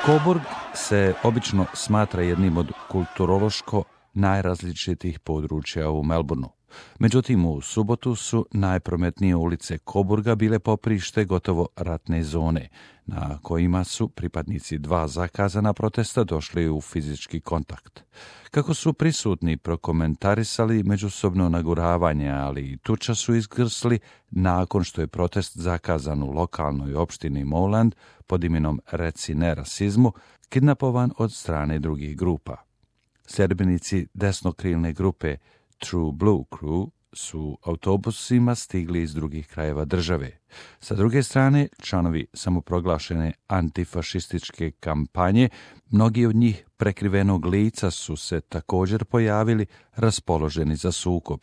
Coburg se obično smatra jednim od kulturološko najrazličitijih područja u Melbourneu. Međutim, u subotu su najprometnije ulice Coburga bile poprište gotovo ratne zone, na kojima su pripadnici dva zakazana protesta došli u fizički kontakt. Kako su prisutni prokomentarisali međusobno naguravanje, ali i tuča su izgrsli nakon što je protest zakazan u lokalnoj opštini Moreland pod imenom Reci ne rasizmu, kidnapovan od strane drugih grupa. Sljedbenici desnokrilne grupe True Blue Crew su autobusima stigli iz drugih krajeva države. Sa druge strane, članovi samoproglašene antifašističke kampanje, mnogi od njih prekrivenog lica su se također pojavili raspoloženi za sukob.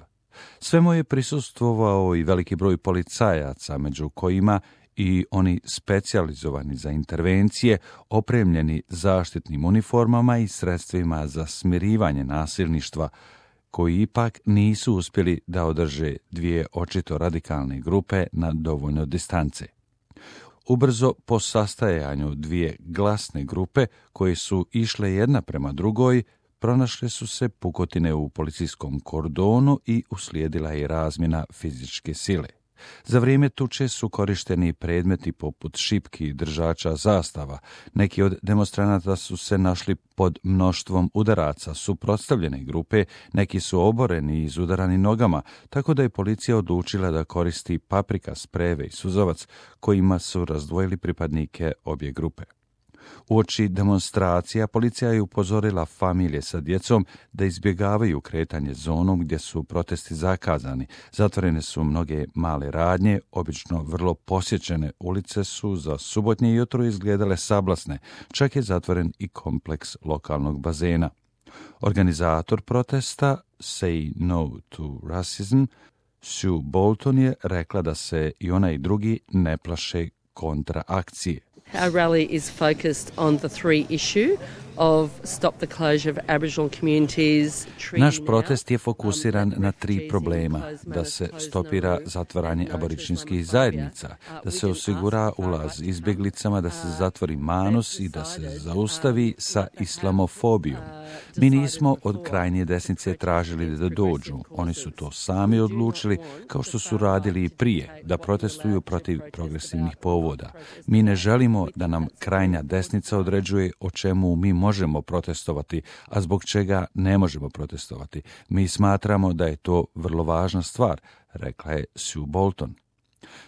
Svemu je prisustvovao i veliki broj policajaca, među kojima i oni specijalizovani za intervencije, opremljeni zaštitnim uniformama i sredstvima za smirivanje nasilništva, koji ipak nisu uspjeli da održe dvije očito radikalne grupe na dovoljno distance. Ubrzo po sastajanju dvije glasne grupe koje su išle jedna prema drugoj, pronašle su se pukotine u policijskom kordonu i uslijedila je razmjena fizičke sile. Za vrijeme tuče su korišteni predmeti poput šipki i držača zastava. Neki od demonstranata su se našli pod mnoštvom udaraca suprotstavljene grupe, neki su oboreni i izudarani nogama, tako da je policija odlučila da koristi paprika, sprejeve i suzovac, kojima su razdvojili pripadnike obje grupe. Uoči demonstracija policija je upozorila familije sa djecom da izbjegavaju kretanje zonom gdje su protesti zakazani. Zatvorene su mnoge male radnje, obično vrlo posjećene ulice su za subotnje jutro izgledale sablasne, čak je zatvoren i kompleks lokalnog bazena. Organizator protesta Say No to Racism, Sue Bolton, je rekla da se i ona i drugi ne plaše kontraakcije. Our rally is focused on the three issue of stop the closure of Aboriginal communities. Naš protest je fokusiran na tri problema: da se stopira zatvaranje aboričinskih zajednica, da se osigura ulaz izbjeglicama, da se zatvori Manus i da se zaustavi sa islamofobijom. Mi nismo od krajnje desnice tražili da dođu, oni su to sami odlučili, kao što su radili i prije, da protestuju protiv progresivnih povoda. Mi ne želimo da nam krajnja desnica određuje o čemu mi možemo protestovati, a zbog čega ne možemo protestovati. Mi smatramo da je to vrlo važna stvar, rekla je Sue Bolton.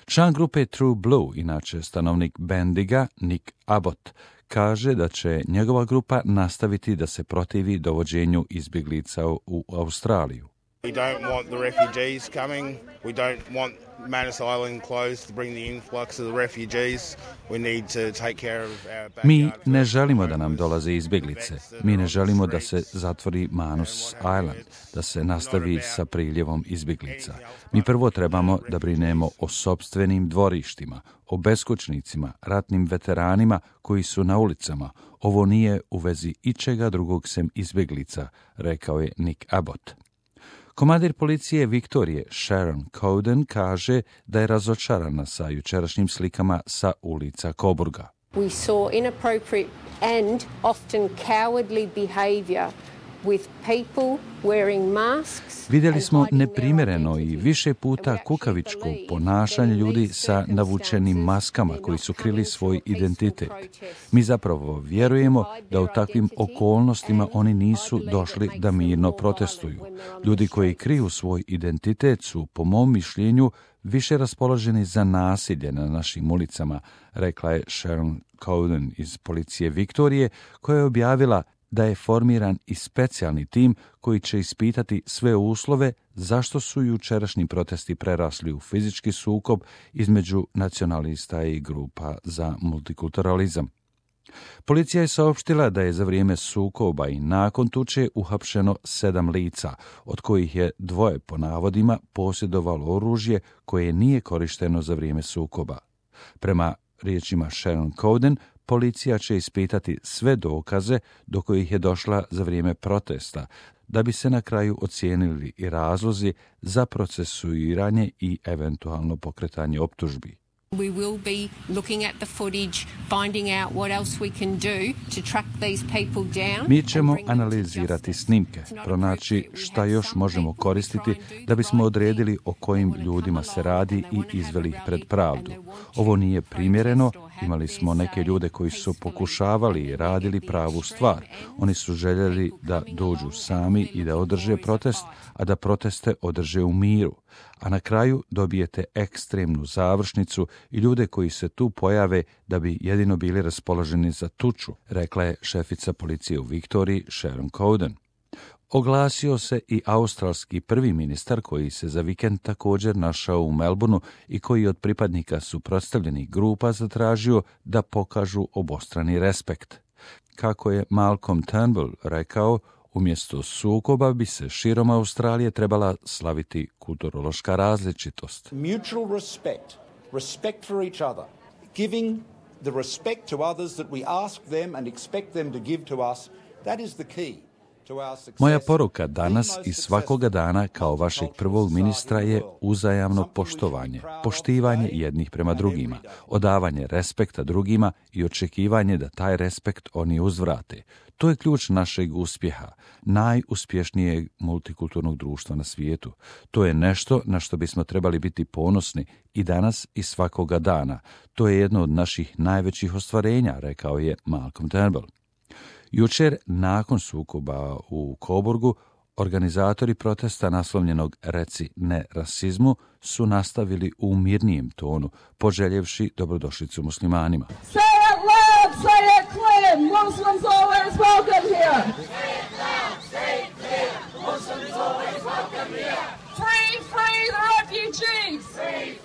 Član grupe True Blue, inače stanovnik Bendiga, Nick Abbott, kaže da će njegova grupa nastaviti da se protivi dovođenju izbjeglica u Australiju. We don't want the refugees coming. We don't want Manus Island closed to bring the influx of the refugees. We need to take care of our backyard. Mi ne želimo da nam dolaze izbjeglice. Mi ne želimo da se zatvori Manus Island, da se nastavi sa priljevom izbjeglica. Mi prvo trebamo da brinemo o sopstvenim dvorištima, o beskućnicima, ratnim veteranima koji su na ulicama. Ovo nije u vezi ičega drugog sem izbjeglica, rekao je Nick Abbott. Komandir policije Viktorije Sharon Cowden kaže da je razočarana sa jučerašnjim slikama sa ulica Coburga. We saw inappropriate and often cowardly behavior with people wearing masks. Vidjeli smo neprimjereno i više puta kukavičko ponašanje ljudi sa navučenim maskama koji su krili svoj identitet. Mi zapravo vjerujemo da u takvim okolnostima oni nisu došli da mirno protestuju. Ljudi koji kriju svoj identitet su, po mom mišljenju, više raspoloženi za nasilje na našim ulicama, rekla je Sharon Cowden iz policije Viktorije, koja je objavila da je formiran i specijalni tim koji će ispitati sve uslove zašto su jučerašnji protesti prerasli u fizički sukob između nacionalista i grupa za multikulturalizam. Policija je saopštila da je za vrijeme sukoba i nakon tuče uhapšeno 7 lica, od kojih je 2 po navodima posjedovalo oružje koje nije korišteno za vrijeme sukoba. Prema riječima Sharon Cowden, policija će ispitati sve dokaze do kojih je došla za vrijeme protesta, da bi se na kraju ocijenili i razlozi za procesuiranje i eventualno pokretanje optužbi. We will be looking at the footage, finding out what else we can do to track these people down. Mi ćemo analizirati snimke, pronaći šta još možemo koristiti da bismo odredili o kojim ljudima se radi i izveli ih pred pravdu. Ovo nije primjereno, imali smo neke ljude koji su pokušavali i radili pravu stvar. Oni su željeli da dođu sami i da održe protest, a da proteste održe u miru. A na kraju dobijete ekstremnu završnicu i ljude koji se tu pojave da bi jedino bili raspoloženi za tuču, rekla je šefica policije u Viktoriji Sharon Cowden. Oglasio se i australski prvi ministar koji se za vikend također našao u Melbourneu i koji od pripadnika suprotstavljenih grupa zatražio da pokažu obostrani respekt. Kako je Malcolm Turnbull rekao, umjesto sukoba bi se širom Australije trebala slaviti kulturološka različitost. Mutual respect, respect for each other, giving the respect to others that we ask them and expect them to give to us, that is the key. Moja poruka danas i svakoga dana kao vašeg prvog ministra je uzajamno poštovanje, poštivanje jednih prema drugima, odavanje respekta drugima i očekivanje da taj respekt oni uzvrate. To je ključ našeg uspjeha, najuspješnijeg multikulturnog društva na svijetu. To je nešto na što bismo trebali biti ponosni i danas i svakoga dana. To je jedno od naših najvećih ostvarenja, rekao je Malcolm Turnbull. Jučer, nakon sukoba u Coburgu, organizatori protesta naslovljenog Reci ne rasizmu su nastavili u mirnijem tonu, poželjevši dobrodošlicu muslimanima. Say it loud, say it clear, Muslims always welcome here. Say it loud, say it clear, Muslims always welcome here. Free, free the refugees. Free,